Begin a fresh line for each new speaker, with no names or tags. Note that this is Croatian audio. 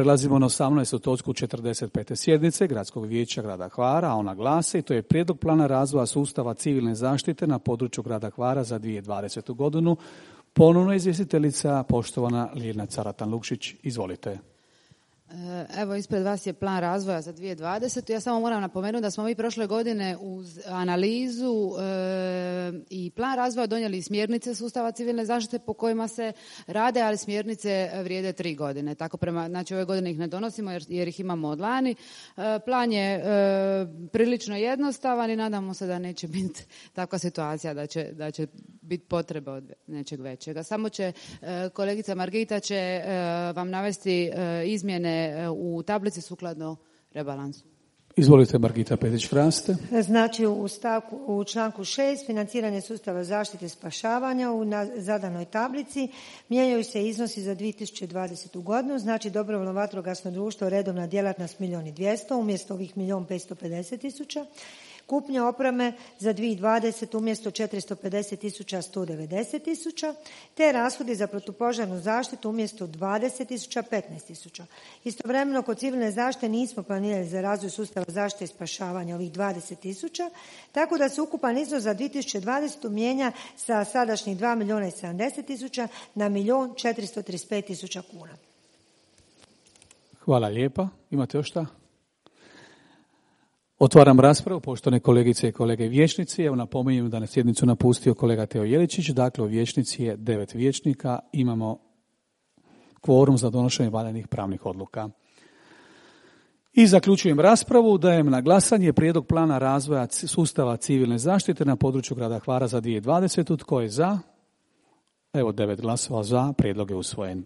prelazimo na 18. točku 45. sjednice Gradskog vijeća grada Hvara, a ona glasi, to je prijedlog plana razvoja sustava civilne zaštite na području grada Hvara za 2020. godinu. Ponovno izvjestiteljica, poštovana Ljiljana Caratan-Lukšić. Izvolite.
Evo, ispred vas je plan razvoja za 2020. Ja samo moram napomenuti da smo mi prošle godine uz analizu i plan razvoja donijeli smjernice sustava civilne zaštite po kojima se rade, ali smjernice vrijede 3 godine. Tako znači ove godine ih ne donosimo jer ih imamo od lani. Plan je prilično jednostavan i nadamo se da neće biti takva situacija da će biti potreba od nečeg većega. Samo će kolegica Margita će vam navesti izmjene u tablici sukladno rebalansu.
Izvolite, Margita Petić-Hraste.
Znači u članku 6 financiranje sustava zaštite i spašavanja u zadanoj tablici mijenjaju se iznosi za 2020. godinu. Znači dobrovoljno vatrogasno društvo redovna djelatnost 1.200.000 umjesto ovih 1.550.000. Kupnja opreme za 2020 umjesto 450.000 190.000, te rashodi za protupožarnu zaštitu umjesto 20.000 15.000. Istovremeno kod civilne zaštite nismo planirali za razvoj sustava zaštite i spašavanja ovih 20.000, tako da se ukupan iznos za 2020 mijenja sa sadašnjih 2.070.000 na 1.435.000 kuna.
Hvala lijepa. Imate još šta? Otvaram raspravu, poštovane kolegice i kolege vijećnici. Evo napominjem da na sjednicu napustio kolega Teo Jeličić. Dakle, u vijećnici je 9 vijećnika. Imamo kvorum za donošenje valjanih pravnih odluka. I zaključujem raspravu. Dajem na glasanje prijedlog plana razvoja sustava civilne zaštite na području grada Hvara za 2020. Tko je za? Evo 9 glasova za. Prijedlog je usvojen.